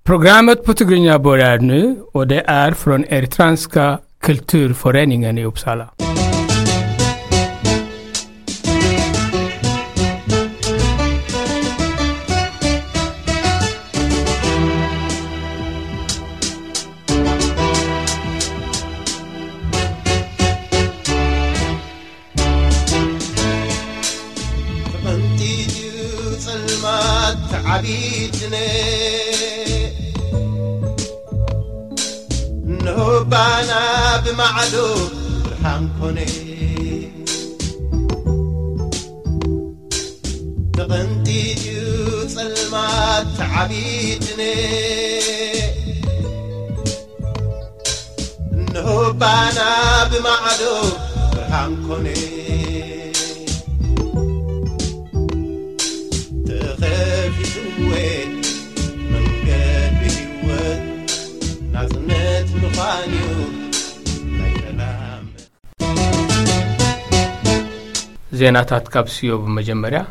Programmet på Tigrinya börjar nu och det är från Eritreanska kulturföreningen i Uppsala. ተቐንጢጥዩ ጸልማት ተዓቢትነ እንሆ ባና ብማዕዶ ብርሃን ኮነ። ተቐንጢጥዩ ጸልማት ተዓቢትነ እንሆ ባና ብማዕዶ ብርሃን ኮነ። ተኸፊትወ መንገዲ ህይወት ናጽነት ምዃንዩ ናይ ሰላም። ዜናታት ካብ ስዮ ብመጀመርያ።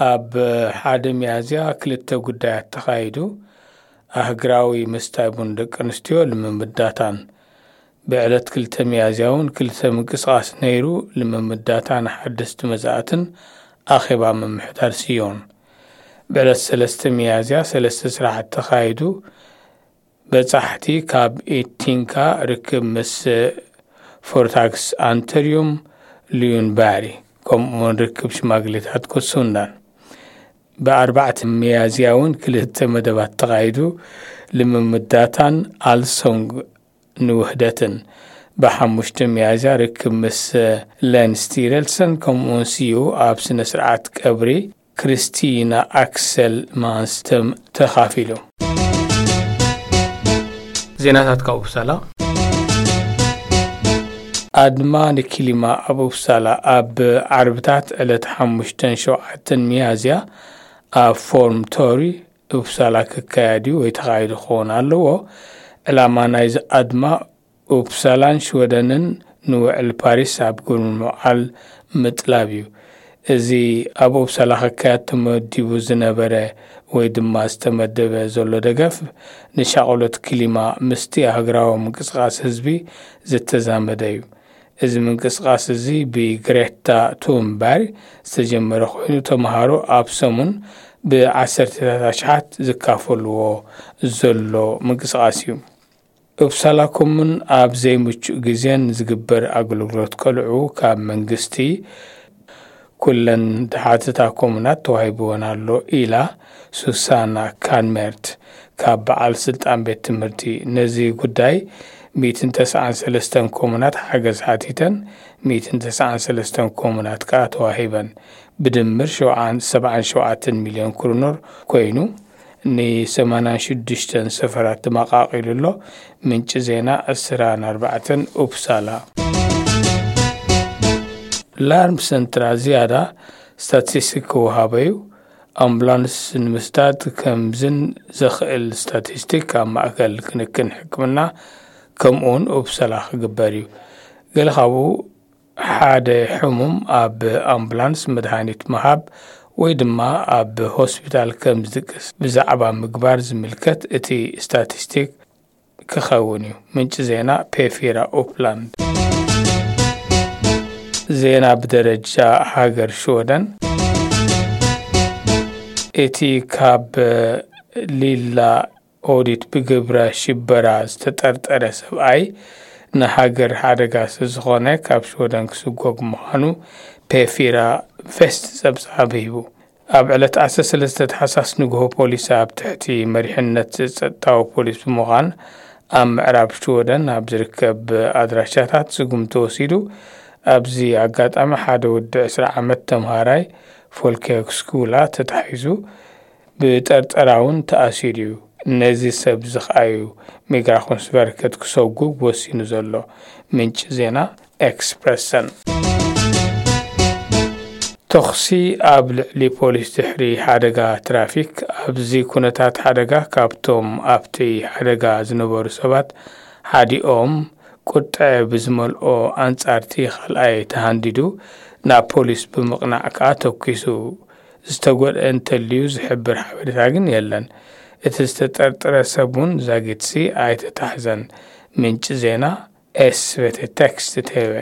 ኣብ ሓደ ሚያዝያ ክልተ ጉዳያት ተኻይዱ። ኣህግራዊ ምስታይ ቡን ደቂ ኣንስትዮ ልምምዳታን። ብዕለት ክልተ ሚያዝያ እውን ክልተ ምንቅስቓስ ነይሩ። ልምምዳታን ሓደስቲ መዛእትን ኣኼባ ምምሕዳር ስዮን። ብዕለት ሰለስተ ሚያዝያ ሰለስተ ስራሓት ተኻይዱ። በጻሕቲ ካብ ኢቲንካ ርክብ ምስ ፎርታክስ ኣንተርዩም ሉዩን ባሪ ከምኡውን ርክብ ሽማግሌታት ኮሱንዳን። ብኣርባዕተ ሚያዝያ እውን ክልተ መደባት ተኻይዱ። ልምምዳታን ኣልሶንግ ንውህደትን። ብሓሙሽተ ሚያዝያ ርክብ ምስ ለን ስቲረልሰን ከምኡውን ስዩ ኣብ ስነ ስርዓት ቀብሪ ክርስቲና ኣክሰል ማንስተም ተኻፊሉ። ዜናታት ካብ ኡፕሳላ። ኣድማ ንኪሊማ ኣብ ኡፕሳላ ኣብ ዓርብታት ዕለት ሓሙሽተን ሸውዓተን ሚያዝያ ኣብ ፎርም ቶሪ ኡፕሳላ ክካየድ እዩ ወይ ተኻይዱ ክኸውን ኣለዎ። ዕላማ ናይዚ ኣድማ ኡፕሳላን ሽወደንን ንውዕል ፓሪስ ኣብ ግብሪ ምውዓል ምጥላብ እዩ። እዚ ኣብ ኡፕሳላ ክካየድ ተመዲቡ ዝነበረ ወይ ድማ ዝተመደበ ዘሎ ደገፍ ንሻቕሎት ክሊማ ምስቲ ኣህግራዊ ምንቅስቓስ ህዝቢ ዝተዛመደ እዩ። እዚ ምንቅስቓስ እዚ ብግሬታ ቱንበርግ ዝተጀመረ ኮይኑ ተምሃሮ ኣብ ሰሙን ብዓሰርተታት ኣሽሓት ዝካፈልዎ ዘሎ ምንቅስቓስ እዩ። ኡፕሳላ ኮሙን ኣብ ዘይምቹእ ግዜን ዝግበር ኣገልግሎት ቆልዑ ካብ መንግስቲ ኩለን ዝሓትታ ኮሙናት ተዋሂብወን ኣሎ ኢላ ሱሳና ካንሜርት ካብ በዓል ስልጣን ቤት ትምህርቲ። ነዚ ጉዳይ ሚእትን ተስዓን ሰለስተን ኮሙናት ሓገዝ ሓቲተን፣ ሚእትን ተስዓን ሰለስተን ኮሙናት ከኣ ተዋሂበን። ብድምር ሸውዓን ሰብዓን ሸውዓተን ሚልዮን ክሩኖር ኮይኑ ን ሰማንያን ሽዱሽተን ሰፈራት ተመቓቒሉ ኣሎ። ምንጪ ዜና ዕስራን ኣርባዕተን ኡፕሳላ። ላርም ሰንትራ ዝያዳ ስታቲስቲክ ክወሃበ እዩ። ኣምቡላንስ ንምስዳድ ከምዝን ዘኽእል ስታቲስቲክ ኣብ ማእከል ክንክን ሕክምና ከምኡውን ኡፕሳላ ክግበር እዩ። ገለ ካብኡ ሓደ ሕሙም ኣብ ኣምቡላንስ መድሃኒት ምሃብ ወይ ድማ ኣብ ሆስፒታል ከም ዝድቅስ ብዛዕባ ምግባር ዝምልከት እቲ ስታቲስቲክ ክኸውን እዩ። ምንጪ ዜና ፔፊራ ኡፕላንድ። ዜና ብደረጃ ሃገር ሽወደን። እቲ ካብ ሊላ ኦዲት ብግብረ ሽበራ ዝተጠርጠረ ሰብኣይ ንሃገር ሓደጋ ስለዝኾነ ካብ ሽወደን ክስጎግ ምዃኑ ፔፊራ ቬስት ጸብጻብ ሂቡ። ኣብ ዕለት ዓሰርተ ሰለስተ ታሕሳስ ንግሆ ፖሊስ ኣብ ትሕቲ መሪሕነት ጸጥታዊ ፖሊስ ብምዃን ኣብ ምዕራብ ሽወደን ኣብ ዝርከብ ኣድራሻታት ስጉምቲ ወሲዱ። ኣብዚ ኣጋጣሚ ሓደ ወዲ ዕስራ ዓመት ተምሃራይ ፎልክስኩላ ተታሒዙ ብጠርጠራ እውን ተኣሲሩ እዩ። ነዚ ሰብ እዚ ከኣ እዩ ሚግራኮንስቨርከት ክሰጉግ ወሲኑ ዘሎ። ምንጪ ዜና ኤክስፕረሰን። ተኹሲ ኣብ ልዕሊ ፖሊስ ድሕሪ ሓደጋ ትራፊክ። ኣብዚ ኩነታት ሓደጋ ካብቶም ኣብቲ ሓደጋ ዝነበሩ ሰባት ሓዲኦም ቁጥዐ ብዝመልኦ ኣንጻርቲ ካልኣይ ተሃንዲዱ ናብ ፖሊስ ብምቕናዕ ከኣ ተኲሱ። ዝተጎድአ እንተልዩ ዝሕብር ሓበሬታ ግን የለን። እቲ ዝተጠርጠረ ሰብ እውን ዛጊትሲ ኣይተታሕዘን። ምንጪ ዜና ኤስቤተ ቴክስት ቴሌ።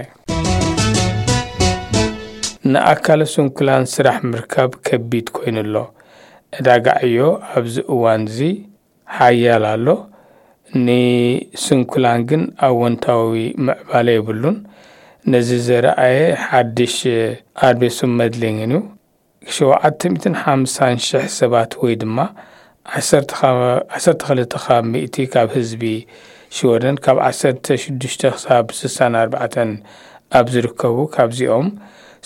ንኣካለ ስንኩላን ስራሕ ምርካብ ከቢድ ኮይኑ ኣሎ። ዕዳጋ ዕዮ ኣብዚ እዋን እዚ ሓያል ኣሎ። ንስንኩላን ግን ኣወንታዊ ምዕባለ የብሉን። ነዚ ዘረኣየ ሓድሽ ኣድቤሱም መድሊንግን እዩ። ሸውዓተ ሚእትን ሓምሳን ሽሕ ሰባት ወይ ድማ ዓሰርተ ካብ ሚእቲ ካብ ህዝቢ ሽወደን ካብ ዓሰርተ ሽዱሽተ ክሳብ ስሳን ኣርባዕተን ኣብ ዝርከቡ ካብዚኦም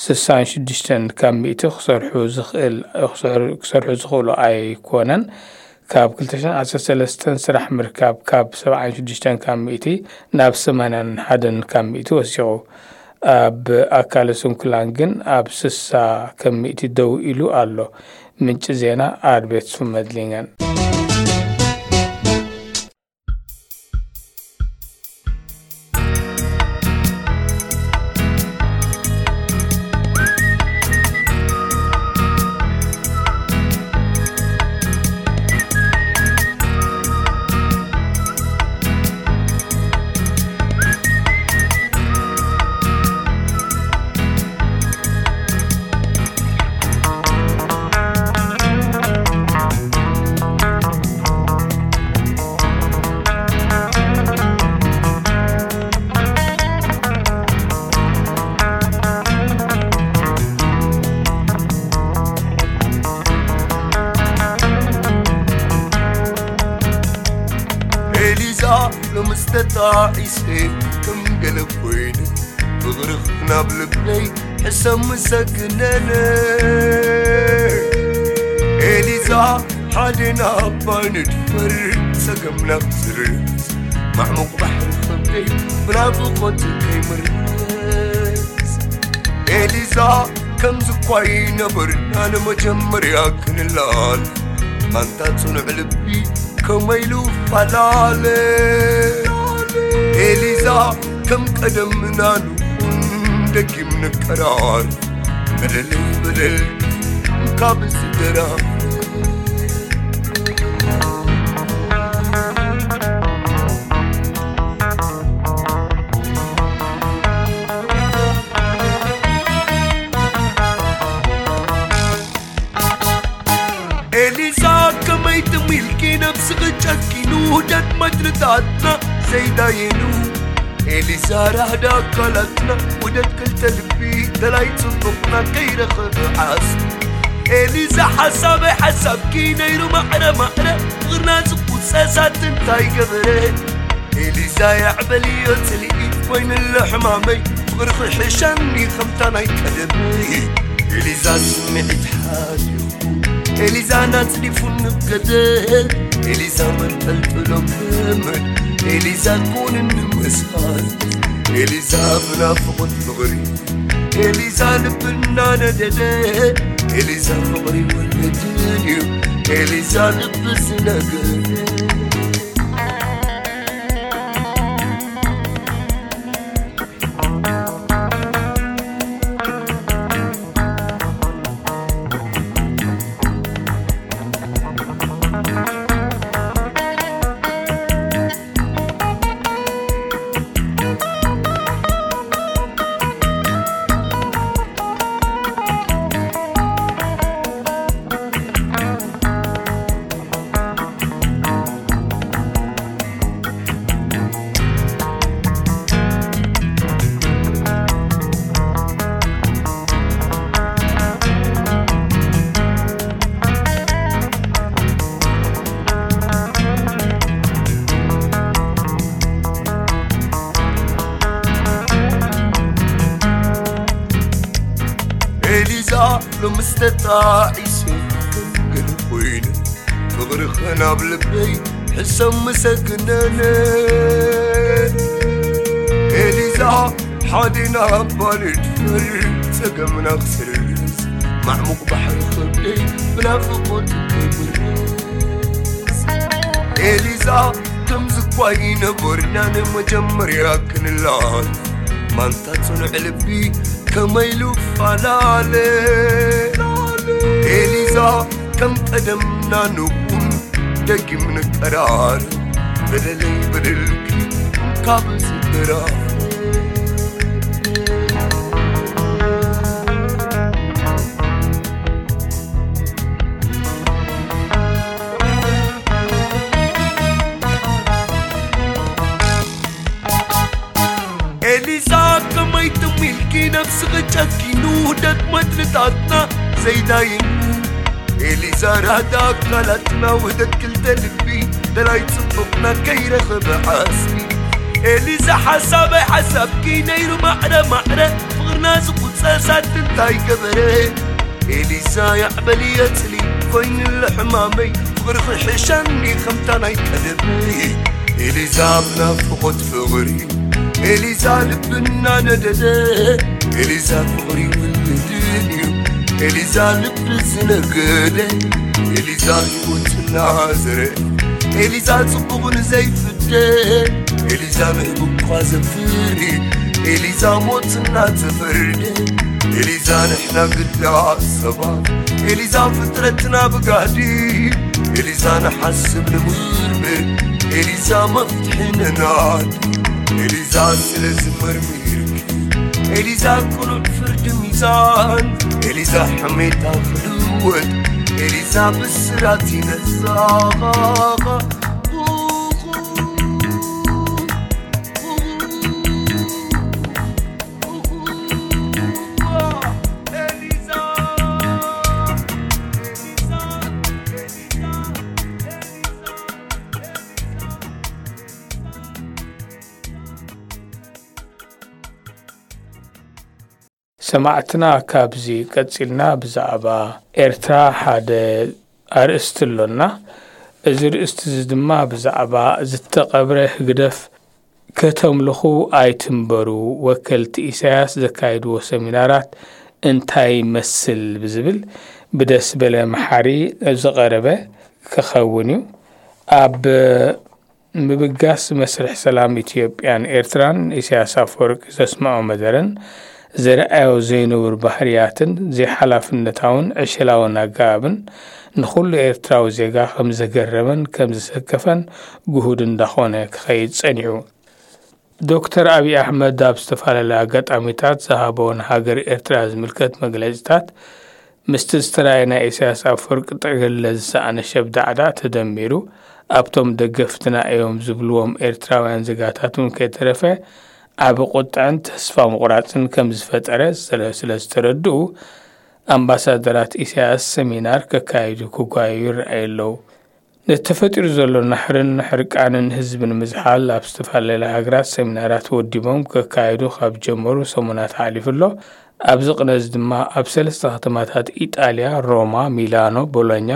ስሳን ሽዱሽተን ካብ ሚእቲ ክሰርሑ ዝኽእል ክሰርሑ ዝኽእሉ ኣይኮነን። ካብ ክልተ ሽሕን ዓሰርተ ሰለስተን ስራሕ ምርካብ ካብ ሰብዓን ሽዱሽተን ካብ ሚእቲ ናብ ሰማንያን ሓደን ካብ ሚእቲ ወሲኹ። ኣብ ኣካለ ስንኩላን ግን ኣብ ስሳ ካብ ሚእቲ ደው ኢሉ ኣሎ። ምንጪ ዜና ኣርቤት ሱመድሊንገን። ኤሊዛ ሎምስ ተጣዒሰ ከም ገለ ኮይነ፣ ፍቕርኽ ናብ ልበይ ሕሰም ምሰግነነ። ኤሊዛ ሓደ ናባ ንድፈር ጸገምና ክስርዝ፣ ማዕሙቕ ባሕሪ ከብደይ ብናፍቖት ከይምርዝ። ኤሊዛ ከምዚ እኳ ይነበርና ንመጀመርያ ክንላል፣ ኣንታ ጽኑዕ ልቢ ከመይ ኢሉ ፈላለ። ኤሊዛ ከም ቀደምና ንኹን ደጊም ንቀራር፣ በደለይ በደል ካብ ዝደራ። ኤሊዛ ከመይ ትም ኢልኪ ነብስኺ ጨኪኑ ውደት መድርታትና ዘይዳየኑ። ኤሊዛ ራህዳ ኣካላትና ውደት ክልተ ልቢ ተላይ ጽቡቕና ከይረኸበ ዓስ። ኤሊዛ ሓሳበይ ሓሳብኪ ነይሩ ማዕረ ማዕረ ፍቕርና ዝቁጸሳት እንታይ ገበረ? ኤሊዛ ያዕበልዮ ጽልኢ ኮይንሎ ሕማመይ ፍቕርኺ ሕሸኒ ከምታ ናይ ቀደመይ። ኤሊዛ ስምዒት ሓሊኹ ኤሊዛ ናጽዲፉ ንብገደ ኤሊዛ መንጠልጥሎ ገመድ ኤሊዛ ኮንኒ መስኻል ኤሊዛ ብናፍቖት ፍቕሪ ኤሊዛ ልብና ነደደ ኤሊዛ ፍቕሪ ወለድን እዩ ኤሊዛ ልቢ ዝነገደ። ኤሊዛ ሎምስ ተጣዒሰ ከም ገለ ኮይነ ፍቕርኸ ናብ ልበይ ሕሰም ምሰግነነ። ኤሊዛ ሓደ ናባ ንድፈር ጸገምና ክስርዝ ማዕሙቕ ባሕሪ ከብደይ ብናፍቖት ከይብርዝ። ኤሊዛ ከምዚ እኳ ይነበርና ንመጀመርያ ክንላል ማንታ ጽኑዕ ልቢ ከመይ ኢሉ ፈላለ። ኤሊ ዳ ከም ቀደምና ንኹን፣ ደጊም ንቀራር፣ በደለይ በደልኪ ካብ ስድራ። ኤሊዛ ከመይ ትም ኢልኪ ነብስኺ ጨኪኑ፣ ውህደት መድልታትና ዘይዳይኑ። ኤሊዛ ራዳ ኣካላትና፣ ውህደት ክልተ ልቢ፣ ደላይ ጽቡቕና ከይረኸበ ዓስቢ። ኤሊዛ ሓሳበይ ሓሳብኪ ነይሩ ማዕረ ማዕረ፣ ፍቕርና ዝቑጸ ሳት እንታይ ገበረ? ኤሊዛ ያዕበል የጽሊ ኮይኑለ ሕማመይ፣ ፍቕርኺ ሕሸኒ ከምታ ናይ ቀደመይ። ኤሊዛ ብናፍቖት ፍቕሪ፣ ኤሊዛ ልብና ነደደ። ኤሊዛ ፍቕሪ ውልድን እዩ፣ ኤሊዛ ልቢ ዝነገደ። ኤሊዛ ህይወትና ዘረ፣ ኤሊዛ ጽቡቕ ንዘይፍደ። ኤሊዛ ንህብ እኳ ዘፍሪ፣ ኤሊዛ ሞትና ተፈርደ። ኤሊዛ ንሕና ግዳ ሰባት፣ ኤሊዛ ፍጥረትና ብጋዲ። ኤሊዛ ንሓስብ ንምርምር፣ ኤሊዛ መፍትሒ ነናድ። ኤሊዛ ስለ ዝመርሚርኪ፣ ኤሊዛ ቅኑዕ ፍርዲ ሚዛን። ኤሊዛ ሕሜታ ክልወጥ፣ ኤሊዛ ብስራት ይነዛኻ። ሰማዕትና፣ ካብዚ ቀጺልና ብዛዕባ ኤርትራ ሓደ ኣርእስቲ ኣሎና። እዚ ርእስቲ እዚ ድማ ብዛዕባ ዝተቐብረ ህግደፍ ከተምልኹ ኣይትንበሩ፣ ወከልቲ ኢሳያስ ዘካየድዎ ሰሚናራት እንታይ ይመስል ብዝብል ብደስበለ መሓሪ ዝቐረበ ክኸውን እዩ። ኣብ ምብጋስ መስርሕ ሰላም ኢትዮጵያን ኤርትራን ኢሳያስ ኣፈወርቂ ዘስምዖ መደረን ዘርኣዮ ዘይንቡር ባህርያትን ዘይሓላፍነታውን ዕሸላውን ኣገባብን ንኹሉ ኤርትራዊ ዜጋ ከም ዘገረመን ከም ዘሰከፈን ግሁድ እንዳኾነ ክኸይድ ጸኒሑ። ዶክተር ኣብይ ኣሕመድ ኣብ ዝተፈላለያ ኣጋጣሚታት ዝሃቦ ንሃገር ኤርትራ ዝምልከት መግለጺታት ምስቲ ዝተራእየ ናይ ኢሳያስ ኣፈወርቂ ጠገለ ዝሰኣነ ሸብዳዕዳዕ ተደሚሩ ኣብቶም ደገፍትና እዮም ዝብልዎም ኤርትራውያን ዜጋታት እውን ከይተረፈ ዓቢ ቁጥዐን ተስፋ ምቑራጽን ከም ዝፈጠረ ስለ ዝተረድኡ ኣምባሳደራት ኢሳያስ ሰሚናር ከካይዱ ክጓየዩ ይረኣዩ ኣለዉ። ነቲ ተፈጢሩ ዘሎ ናሕርን ሕርቃንን ህዝቢ ንምዝሓል ኣብ ዝተፈላለያ ሃገራት ሰሚናራት ወዲቦም ከካይዱ ካብ ጀመሩ ሰሙናት ሓሊፉ ኣሎ። ኣብዚ ቅነዚ ድማ ኣብ ሰለስተ ከተማታት ኢጣልያ፣ ሮማ፣ ሚላኖ፣ ቦሎኛ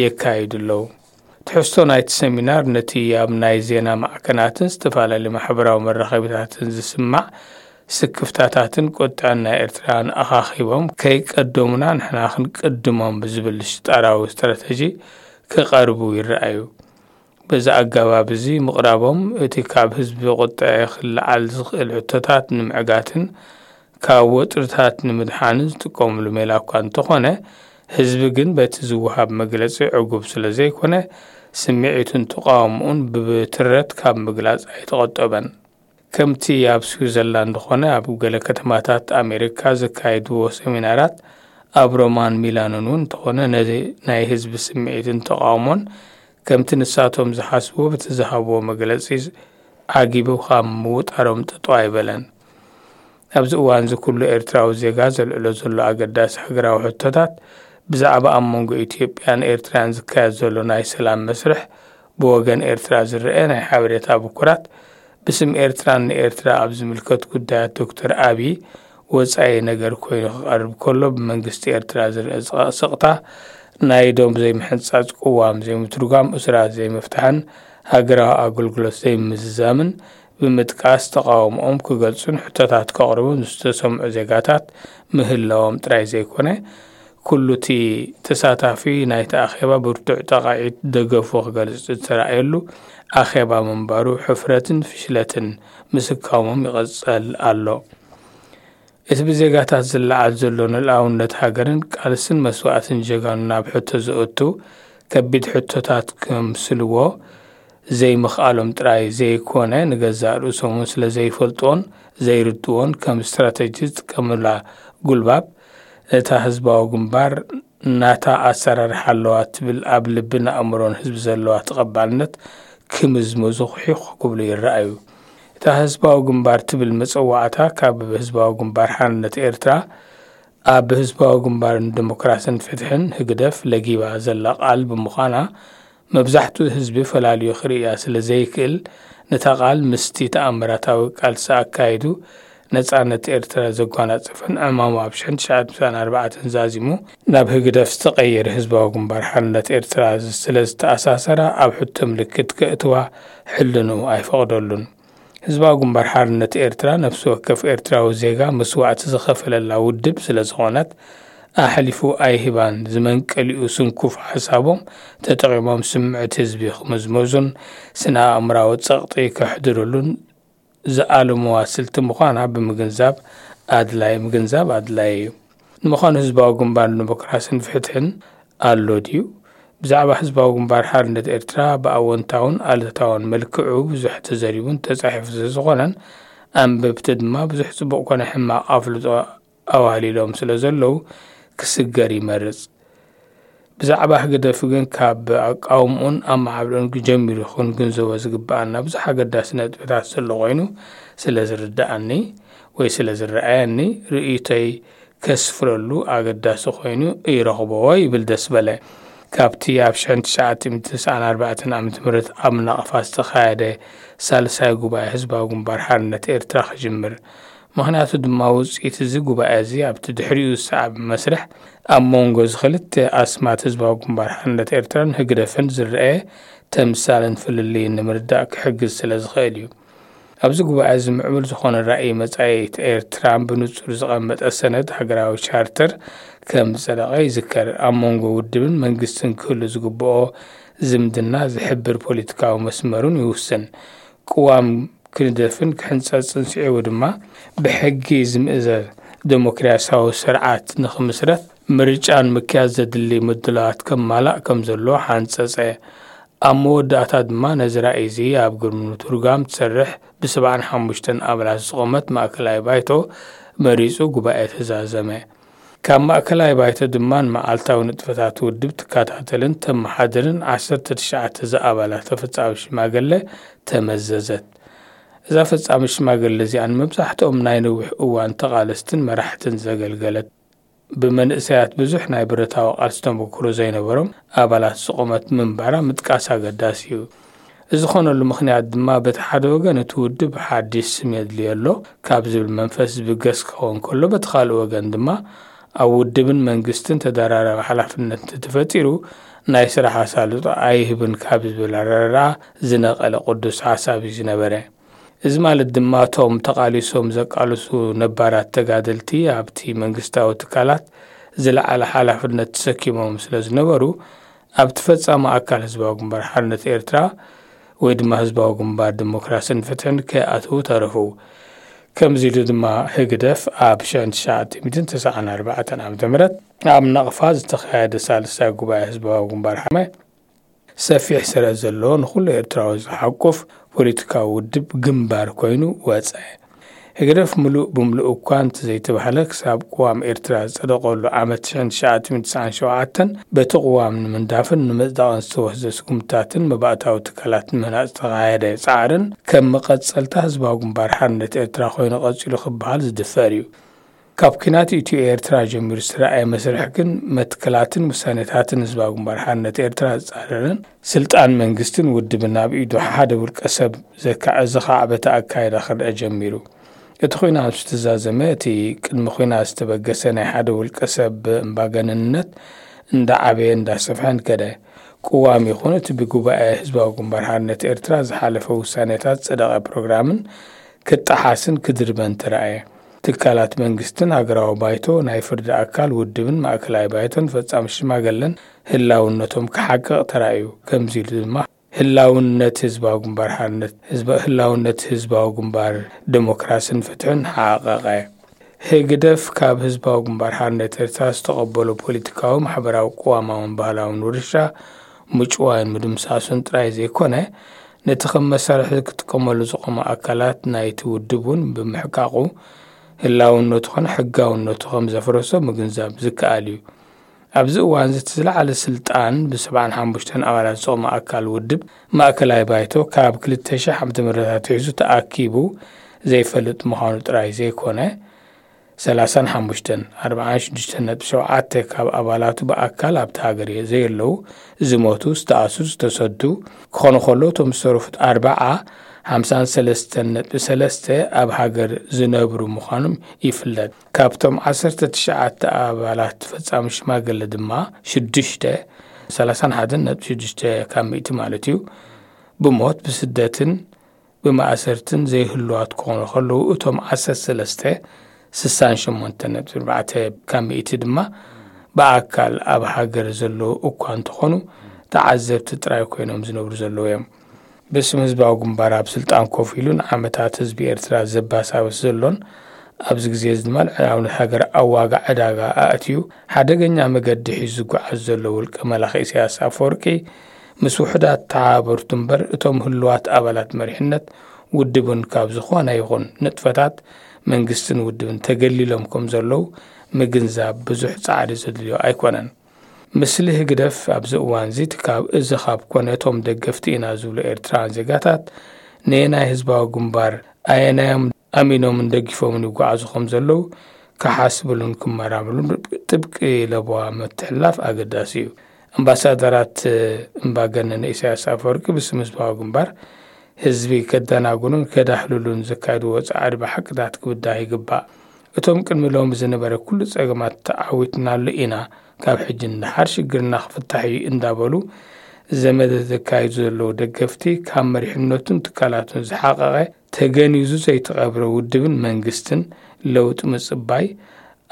የካይዱ ኣለዉ። ትሕዝቶ ናይቲ ሰሚናር ነቲ ኣብ ናይ ዜና ማዕከናትን ዝተፈላለዩ ማሕበራዊ መራኸቢታትን ዝስማዕ ስክፍታታትን ቁጥዐን ናይ ኤርትራን ኣኻኺቦም ከይቀደሙና ንሕና ክንቅድሞም ብዝብል ሽጣራዊ ስትራተጂ ክቐርቡ ይረኣዩ። በዚ ኣገባብ እዚ ምቕራቦም እቲ ካብ ህዝቢ ቁጥዐ ክለዓል ዝኽእል ሕቶታት ንምዕጋትን ካብ ወጥርታት ንምድሓንን ዝጥቀምሉ ሜላ እኳ እንተኾነ ህዝቢ ግን በቲ ዝወሃብ መግለጺ ዕጉብ ስለ ዘይኮነ ስምዒቱን ተቓውምኡን ብትረት ካብ ምግላጽ ኣይተቖጠበን። ከምቲ ኣብ ስዊዘርላንድ ኾነ ኣብ ገለ ከተማታት ኣሜሪካ ዘካየድዎ ሰሚናራት ኣብ ሮማን ሚላኖን እውን እንተኾነ ነዚ ናይ ህዝቢ ስምዒትን ተቓውሞን ከምቲ ንሳቶም ዝሓስብዎ በቲ ዝሃብዎ መግለጺ ዓጊቡ ካብ ምውጣሮም ጥጦ ኣይበለን። ኣብዚ እዋን እዚ ኩሉ ኤርትራዊ ዜጋ ዘልዕሎ ዘሎ ኣገዳሲ ሃገራዊ ሕቶታት ብዛዕባ ኣብ መንጎ ኢትዮጵያን ኤርትራን ዝካየድ ዘሎ ናይ ሰላም መስርሕ ብወገን ኤርትራ ዝረአ ናይ ሓበሬታ ብኩራት ብስም ኤርትራን ንኤርትራ ኣብ ዝምልከት ጉዳያት ዶክተር ኣብይ ወጻኢ ነገር ኮይኑ ክቐርብ ከሎ ብመንግስቲ ኤርትራ ዝረአ ስቕታ ናይ ዶብ ዘይምሕንጻጽ ቅዋም ዘይምትርጓም እስራት ዘይምፍታሕን ሃገራዊ ኣገልግሎት ዘይምዝዛምን ብምጥቃስ ተቓውሞኦም ክገልጹን ሕቶታት ከቕርቡን ዝተሰምዑ ዜጋታት ምህላዎም ጥራይ ዘይኮነ ኩሉ እቲ ተሳታፊ ናይቲ ኣኼባ ብርቱዕ ጠቓዒት ደገፉ ክገልጽ ዝተራእየሉ ኣኼባ ምንባሩ ሕፍረትን ፍሽለትን ምስካሞም ይቐጸል ኣሎ። እቲ ብዜጋታት ዝለዓል ዘሎ ንልኣውነት ሃገርን ቃልስን መስዋእትን ጀጋኑ ናብ ሕቶ ዘእቱ ከቢድ ሕቶታት ከምስልዎ ዘይምኽኣሎም ጥራይ ዘይኮነ፣ ንገዛእ ርእሶም እውን ስለ ዘይፈልጥዎን ዘይርድዎን ከም ስትራተጂ ዝጥቀሙላ ጉልባብ፣ እታ ህዝባዊ ግንባር ናታ ኣሰራርሓ ኣለዋ ትብል ኣብ ልብን ኣእምሮን ህዝቢ ዘለዋ ተቐባልነት ክምዝምዙ ኺሒኽ ክብሉ ይረኣዩ። እታ ህዝባዊ ግንባር ትብል መጸዋዕታ ካብ ህዝባዊ ግንባር ሓርነት ኤርትራ ኣብ ህዝባዊ ግንባር ንዲሞክራስን ፍትሕን፣ ህግደፍ፣ ለጊባ ዘላ ቃል ብምዃና፣ መብዛሕትኡ ህዝቢ ፈላልዩ ክርእያ ስለ ዘይክእል፣ ነታ ቃል ምስቲ ተኣምራታዊ ቃልሲ ኣካይዱ ነጻነት ኤርትራ ዘጓናጸፈን ዕማሙ ኣብ ሽሕን ትሽዓን ሚእትን ኣርባዕተን ዛዚሙ ናብ ህግደፍ ዝተቐየረ ህዝባዊ ግንባር ሓርነት ኤርትራ ስለ ዝተኣሳሰራ፣ ኣብ ሕቶ ምልክት ከእትዋ ሕልንኡ ኣይፈቕደሉን። ህዝባዊ ግንባር ሓርነት ኤርትራ ነፍሲ ወከፍ ኤርትራዊ ዜጋ መስዋእቲ ዝኸፈለላ ውድብ ስለ ዝኾነት ኣሕሊፉ ኣይህባን። ዝመንቀሊኡ ስንኩፍ ሓሳቦም ተጠቒሞም ስምዕት ህዝቢ ክምዝመዙን ስነ ኣእምራዊ ጸቕጢ ከሕድርሉን ዝኣለምዋ ስልቲ ምዃና ብምግንዛብ ኣድላይ፣ ምግንዛብ ኣድላይ እዩ። ንምዃኑ ህዝባዊ ግንባር ንዲሞክራስን ፍትሕን ኣሎ ድዩ? ብዛዕባ ህዝባዊ ግንባር ሓርነት ኤርትራ ብኣወንታውን ኣሉታውን መልክዑ ብዙሕ ተዘሪቡን ተጻሒፉ ስለዝኾነን ኣንበብቲ ድማ ብዙሕ ጽቡቕ ኮነ ሕማቕ ኣፍልጦ ኣዋህሊሎም ስለ ዘለዉ ክስገር ይመርጽ። ብዛዕባ ህግደፍ ግን ካብ ኣቃውምኡን ኣመዓብልኡን ጀሚሩ ክንግንዘቦ ዝግብኣና ብዙሕ ኣገዳሲ ነጥብታት ዘሎ ኮይኑ ስለ ዝርድኣኒ ወይ ስለ ዝረኣየኒ ርእይቶይ ከስፍረሉ ኣገዳሲ ኮይኑ ይረኽቦ ይብል ደስበለ። ካብቲ ኣብ ሽሕን ትሽዓተ ሚእትን ተስዓን ኣርባዕተን ዓመተ ምህረት ኣብ ናቕፋ ዝተኻየደ ሳልሳይ ጉባኤ ህዝባዊ ግንባር ሓርነት ኤርትራ ክጅምር። ምኽንያቱ ድማ ውጽኢት እዚ ጉባኤ እዚ ኣብቲ ድሕሪኡ ዝሰዓብ መስርሕ ኣብ መንጎ እዚ ክልተ ኣስማት ህዝባዊ ግንባር ሓርነት ኤርትራን ህግደፍን ዝረኣየ ተምሳልን ፍልልይን ንምርዳእ ክሕግዝ ስለ ዝኽእል እዩ። ኣብዚ ጉባኤ እዚ ምዕቡል ዝኾነ ራእይ መጻኢት ኤርትራ ብንጹር ዝቐመጠ ሰነድ ሃገራዊ ቻርተር ከም ዝጸደቐ ይዝከር። ኣብ መንጎ ውድብን መንግስትን ክህሉ ዝግብኦ ዝምድና ዝሕብር ፖለቲካዊ መስመሩን ይውስን። ቅዋም ክንደፍን ክሕንጸጽን ስዒቡ ድማ ብሕጊ ዝምእዘዝ ደሞክራሲያዊ ስርዓት ንኽምስረት ምርጫን ምክያድ ዘድሊ ምድላዋት ከማላእ ከም ዘሎ ሓንጸጸ። ኣብ መወዳእታ ድማ ነዚ ራእይ እዚ ኣብ ግብሪ ምትርጓም ትሰርሕ ብሰብዓን ሓሙሽተን ኣባላት ዝቖመት ማእከላይ ባይቶ መሪጹ ጉባኤ ተዛዘመ። ካብ ማእከላይ ባይቶ ድማ ንመዓልታዊ ንጥፈታት ውድብ ትከታተልን ተመሓድርን ዓሰርተ ትሽዓተ ዝኣባላታ ፈጻሚ ሽማግለ ተመዘዘት። እዛ ፈጻሚ ሽማግለ እዚኣ ንመብዛሕትኦም ናይ ነዊሕ እዋን ተቓለስትን መራሕትን ዘገልገለት፣ ብመንእሰያት ብዙሕ ናይ ብረታዊ ቃልሲ ተመክሮ ዘይነበሮም ኣባላት ዝቖመት ምንባራ ምጥቃስ ኣገዳሲ እዩ። እዚ ዝኾነሉ ምኽንያት ድማ በቲ ሓደ ወገን እቲ ውድብ ሓድሽ ስም የድልዮ ኣሎ ካብ ዝብል መንፈስ ዝብገስ ክኸውን ከሎ፣ በቲ ካልእ ወገን ድማ ኣብ ውድብን መንግስትን ተደራራቢ ሓላፍነት እንተተፈጢሩ ናይ ስራሕ ኣሳልጦ ኣይህብን ካብ ዝብል ኣረዳድኣ ዝነቐለ ቅዱስ ሓሳብ እዩ ዝነበረ። እዚ ማለት ድማ እቶም ተቓሊሶም ዘቃልሱ ነባራት ተጋደልቲ ኣብቲ መንግስታዊ ትካላት ዝለዓለ ሓላፍነት ተሰኪሞም ስለ ዝነበሩ ኣብቲ ፈጻሚ ኣካል ህዝባዊ ግንባር ሓርነት ኤርትራ ወይ ድማ ህዝባዊ ግንባር ዲሞክራስን ፍትሕን ከይኣትዉ ተረፉ። ከምዚ ኢሉ ድማ ህግደፍ ኣብ ሽሕን ትሽዓተ ሚእትን ተስዓን ኣርባዕተን ዓመተ ምህረት ኣብ ናቕፋ ዝተኻየደ ሳልሳይ ጉባኤ ህዝባዊ ግንባር ሓመ ሰፊሕ ስረ ዘለዎ ንኹሉ ኤርትራዊ ዝሓቁፍ ፖለቲካዊ ውድብ ግንባር ኮይኑ ወጸ። ህግደፍ ምሉእ ብምሉእ እኳ እንተዘይተባህለ፣ ክሳብ ቅዋም ኤርትራ ዝጸደቐሉ ዓመት ሽሕን ትሽዓተ ሚእትን ተስዓን ሸውዓተን በቲ ቅዋም ንምንዳፍን ንምጽዳቕን ዝተወስደ ስጉምትታትን መባእታዊ ትካላት ንምህናጽ ዝተኻየደ ጻዕርን ከም መቐጸልታ ህዝባዊ ግንባር ሓርነት ኤርትራ ኮይኑ ቀጺሉ ክበሃል ዝድፈር እዩ። ካብ ኲናት ኢትዮ ኤርትራ ጀሚሩ ዝተራእየ መስርሕ ግን መትከላትን ውሳኔታትን ህዝባዊ ግንባር ሓርነት ኤርትራ ዝጻረርን ስልጣን መንግስትን ውድብን ኣብ ኢዱ ሓደ ውልቀ ሰብ ዘካ-፣ ዘኻዕበተ ኣካይዳ ክረአ ጀሚሩ። እቲ ኲናት ምስ ተዛዘመ፣ እቲ ቅድሚ ኲናት ዝተበገሰ ናይ ሓደ ውልቀ ሰብ እምባገነንነት እንዳዓበየ እንዳሰፍሐን ከደ። ቅዋም ይኹን እቲ ብጉባኤ ህዝባዊ ግንባር ሓርነት ኤርትራ ዝሓለፈ ውሳኔታት ዝጸደቐ ፕሮግራምን ክጠሓስን ክድርበን ተራእየ። ትካላት መንግስትን ሃገራዊ ባይቶ፣ ናይ ፍርዲ ኣካል ውድብን ማእከላይ ባይቶን ፈጻሚ ሽማግለን ህላውነቶም ክሓቅቕ ተራእዩ። ከምዚ ኢሉ ድማ ህላውነት ህዝባዊ ግንባር ሓርነት፣ ህዝባ-፣ ህላውነት ህዝባዊ ግንባር ዲሞክራስን ፍትሕን ሓቐቐ። ህግደፍ ካብ ህዝባዊ ግንባር ሓርነት ኤርትራ ዝተቐበሎ ፖለቲካዊ፣ ማሕበራዊ፣ ቅዋማውን ባህላውን ውርሻ ምጭዋይን ምድምሳሱን ጥራይ ዘይኮነ፣ ነቲ ከም መሳርሒ ክጥቀመሉ ዝቖመ ኣካላት ናይቲ ውድብ እውን ብምሕቃቑ፣ ህላውነቱ ኾነ ሕጋውነቱ ከም ዘፍረሶ ምግንዛብ ዝከኣል እዩ። ኣብዚ እዋን እዚ እቲ ዝለዓለ ስልጣን ብሰብዓን ሓሙሽተን ኣባላት ዝቖመ ኣካል ውድብ ማእከላይ ባይቶ ካብ ክልተ ሺሕ ዓመተ ምህረት ኣትሒዙ ተኣኪቡ ዘይፈልጥ ምዃኑ ጥራይ ዘይኮነ፣ ሰላሳን ሓሙሽተን፣ ኣርባዓን ሽዱሽተን ነጥቢ ሸውዓተ ካብ ኣባላቱ ብኣካል ኣብቲ ሃገር ዘየለዉ፣ ዝሞቱ፣ ዝተኣስሩ፣ ዝተሰዱ ክኾኑ ከለዉ፣ እቶም ዝተረፉት ኣርባዓ፣ ሓምሳን ሰለስተን ነጥቢ ሰለስተ ኣብ ሃገር ዝነብሩ ምዃኖም ይፍለጥ። ካብቶም ዓሰርተ ትሽዓተ ኣባላት ፈጻሚ ሽማግለ ድማ ሽዱሽተ፣ ሰላሳን ሓደን ነጥቢ ሽዱሽተ ካብ ሚእቲ ማለት እዩ፣ ብሞት፣ ብስደትን ብማእሰርትን ዘይህልዋት ክኾኑ ከለዉ፣ እቶም ዓሰርተ ሰለስተ፣ ስሳን ሸሞንተን ነጥቢ ኣርባዕተ ካብ ሚእቲ ድማ ብኣካል ኣብ ሃገር ዘለዉ እኳ እንተኾኑ፣ ተዓዘብቲ ጥራይ ኮይኖም ዝነብሩ ዘለዉ እዮም። ብስም ህዝባዊ ግንባር ኣብ ስልጣን ኮፍ ኢሉ ንዓመታት ህዝቢ ኤርትራ ዘባሳብስ ዘሎን ኣብዚ ግዜ እዚ ድማ ልዕላውነት ሃገር ኣብ ዋጋ ዕዳጋ ኣእትዩ ሓደገኛ መገዲ ሒዙ ዝጓዓዝ ዘሎ ውልቀ መላኺ ኢሳያስ ኣፈወርቂ ምስ ውሑዳት ተሓባበርቱ እምበር እቶም ህሉዋት ኣባላት መሪሕነት ውድብን ካብ ዝኾነ ይኹን ንጥፈታት መንግስትን ውድብን ተገሊሎም ከም ዘለዉ ምግንዛብ ብዙሕ ጻዕሪ ዘድልዮ ኣይኮነን። ምስሊ ህግደፍ ኣብዚ እዋን እዚ እቲ ካብ፣ እዚ ካብ ኮነ እቶም ደገፍቲ ኢና ዝብሉ ኤርትራውያን ዜጋታት ነየናይ ህዝባዊ ግንባር ኣየናዮም ኣሚኖምን ደጊፎምን ይጓዓዙ ከም ዘለዉ ክሓስብሉን ክመራምሩን ጥብቂ ለበዋ ምትሕልላፍ ኣገዳሲ እዩ። ኣምባሳደራት እምባገነን ኢሳያስ ኣፈወርቂ ብስም ህዝባዊ ግንባር ህዝቢ ከደናግሩን ከዳህልሉን ዘካየድዎ ጻዕሪ ብሓቅታት ክብዳህ ይግባእ። እቶም ቅድሚ ሎሚ ዝነበረ ኩሉ ጸገማት ተዓዊትናሉ ኢና፣ ካብ ሕጂ ንደሓር ሽግርና ክፍታሕ እዩ እንዳበሉ ዘመተ ዘካይዱ ዘለዉ ደገፍቲ ካብ መሪሕነቱን ትካላቱን ዝሓቐቐ ተገኒዙ ዘይተቐብረ ውድብን መንግስትን ለውጢ ምጽባይ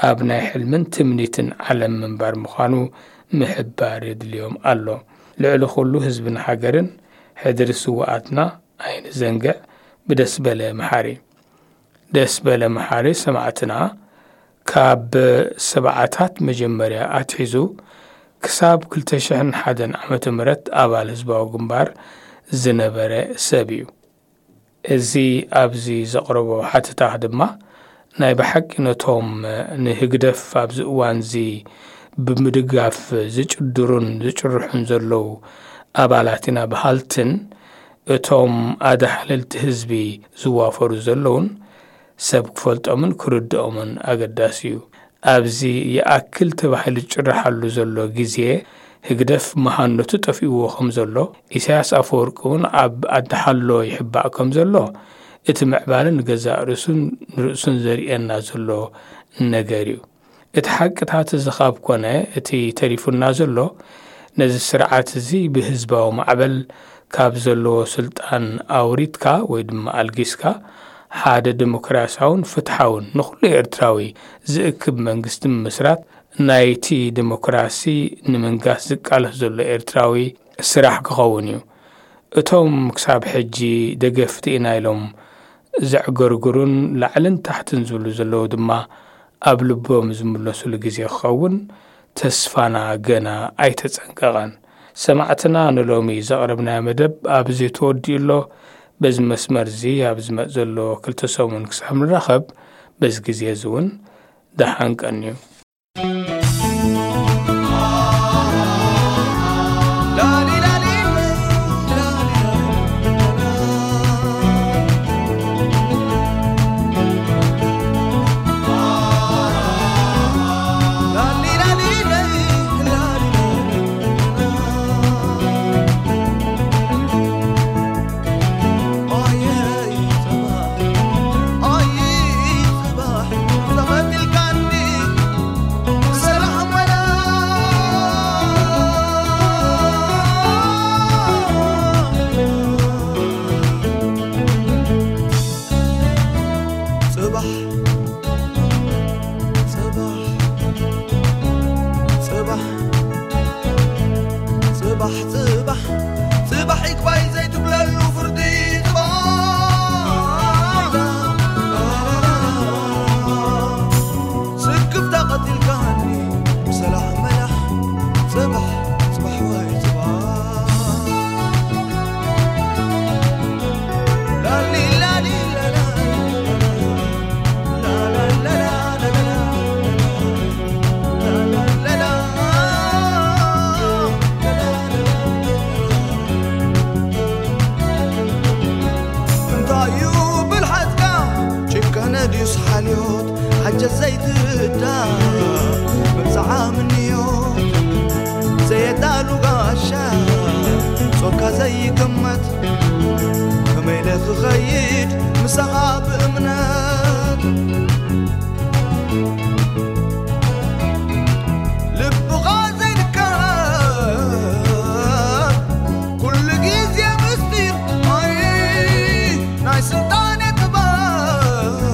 ኣብ ናይ ሕልምን ትምኒትን ዓለም ምንባር ምዃኑ ምሕባር የድልዮም ኣሎ። ልዕሊ ኩሉ ህዝብን ሃገርን ሕድሪ ስውኣትና ኣይንዘንግዕ። ብደስ በለ መሓሪ። ደስ በለ መሓሪ ሰማዕትና ካብ ሰብዓታት መጀመርያ ኣትሒዙ ክሳብ ክልተ ሽሕን ሓደን ዓመተ ምህረት ኣባል ህዝባዊ ግንባር ዝነበረ ሰብ እዩ። እዚ ኣብዚ ዘቕረቦ ሓተታ ድማ ናይ ብሓቂ ነቶም ንህግደፍ ኣብዚ እዋንዚ ብምድጋፍ ዝጭድሩን ዝጭርሑን ዘለዉ ኣባላት ኢና በሃልትን እቶም ኣዳሕለልቲ ህዝቢ ዝዋፈሩ ዘለዉን ሰብ ክፈልጦምን ክርድኦምን ኣገዳሲ እዩ። ኣብዚ ይኣክል ተባሂሉ ዝጭርሓሉ ዘሎ ግዜ ህግደፍ መሃነቱ ጠፊእዎ ከም ዘሎ፣ ኢሳያስ ኣፈወርቂ እውን ኣብ ኣድሓሎ ይሕባእ ከም ዘሎ፣ እቲ ምዕባለ ንገዛእ ርእሱን ንርእሱን ዘርእየና ዘሎ ነገር እዩ። እቲ ሓቅታት እዚ ካብ ኮነ፣ እቲ ተሪፉና ዘሎ፣ ነዚ ስርዓት እዚ ብህዝባዊ ማዕበል ካብ ዘለዎ ስልጣን ኣውሪድካ ወይ ድማ ኣልጊስካ፣ ሓደ ዲሞክራሲያውን ፍትሓውን ንኹሉ ኤርትራዊ ዝእክብ መንግስቲ ምምስራት፣ ናይቲ ዲሞክራሲ ንምንጋስ ዝቃለስ ዘሎ ኤርትራዊ ስራሕ ክኸውን እዩ። እቶም ክሳብ ሕጂ ደገፍቲ ኢና ኢሎም ዘዕገርግሩን ላዕልን ታሕትን ዝብሉ ዘለዉ ድማ፣ ኣብ ልቦም ዝምለሱሉ ግዜ ክኸውን ተስፋና ገና ኣይተጸንቀቐን። ሰማዕትና፣ ንሎሚ ዘቕረብናዮ መደብ ኣብዚ ተወዲኡ ኣሎ። በዚ መስመር እዚ ኣብ ዝመጽእ ዘሎ ክልተ ሰሙን ክሳብ ንራኸብ፣ በዚ ግዜ እዚ እውን ደሓን ቀንዩ። ይግመት ከመይ ኢለ ክኸይድ ምሳኻ ብእምነት ልብኻ ዘይርከብ ኩሉ ግዜ ምስጢር ኣይ ናይ ስልጣነ ጥበብ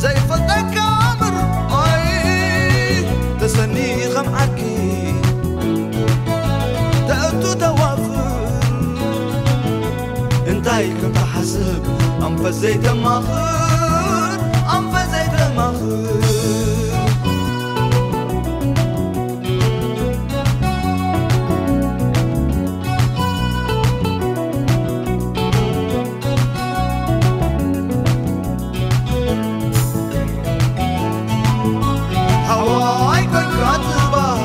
ዘይፈልጠካ ኣምር ኣይ ተሰኒ ከም ዓርኪ ተእቱ ተዋፍር እንታይ ከም ትሓስብ ኣንፈት ዘይተማኽር ኣንፈት ዘይተማኽር ሓዋይ ኮይንካ ጽባሕ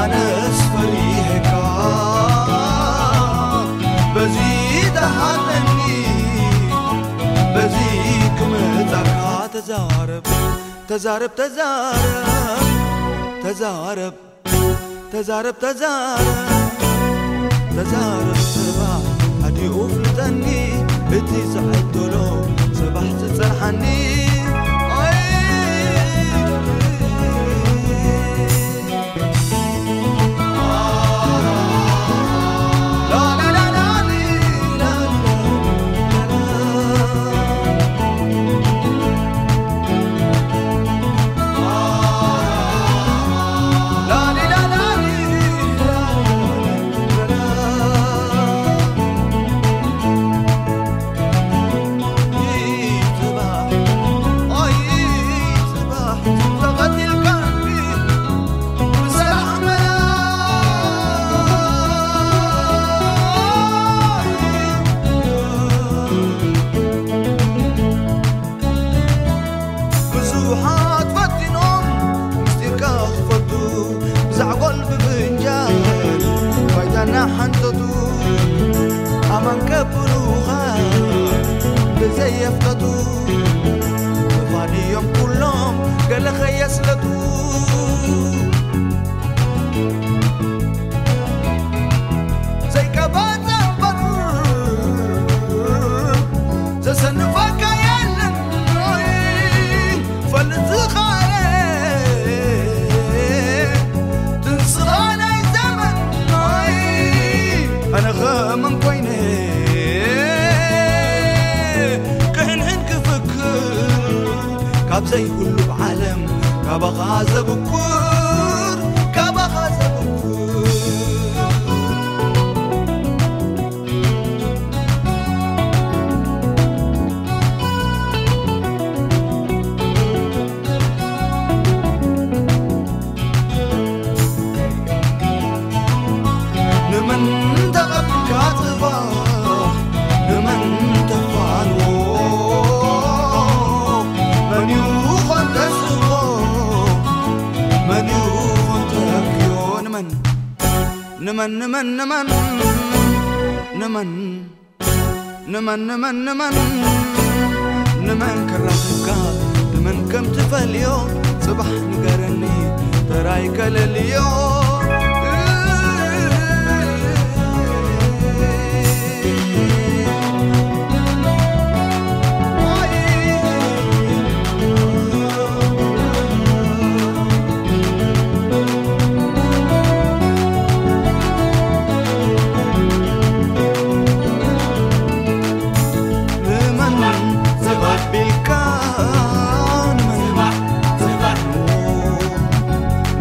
ኣነስ ፈሪሄካ በዚ ተሃለኒ በዚ ክመጻካ ተዛረብ ተዛረብ ተዛረብ ተዛረብ ተዛረብ ተዛረብ ተዛረብ ጽባሕ ኣዲኡ ፍልጠኒ እቲ ዝዕድሎ ጽባሕ ዝጸንሓኒ ኣይ ብዙሓት ፈቲኖም ምስጢርካ ክፈልጡ ብዛዕጎል ብፍንጃል ባይታና ሓንተቱ ኣማን ከብሉኻ ብዘየፍተቱ ብፋድዮም ኩሎም ገለ ኸየስለቱ ዘይቀባጸ እምበር ዘሰንፈካ የለን ፈልጥ ዝኻረ ትንስኻ ናይ ዘመን ኣነ ኸመን ኮይነ ክሕንሕን ክፍክር ካብ ዘይብሉ ብዓለም ካባኻ ዘብኩር ካባኻ ዘብኩር ንመን ተቐብልካ ጽባሕ ንመን ተፋንዎ መን ይኾን ተስቦ መን ይኾን ተብክዮ ንመን ንመን ንመን ንመን ንመን ንመን ንመን ንመን ንመን ክራኽብካ ንመን ከም ትፈልዮ ጽባሕ ንገረኒ ተራይ ከለልዮ ንመን ዘባቢልካ ንመን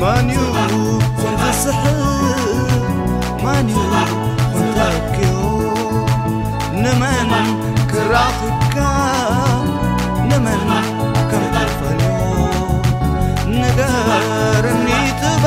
መን እዩ ዘስሕብ መን እዩ ዘብክዮ ንመን ክራኽብካ ንመን ከም ትፈልዮ ንገርኒ ትባ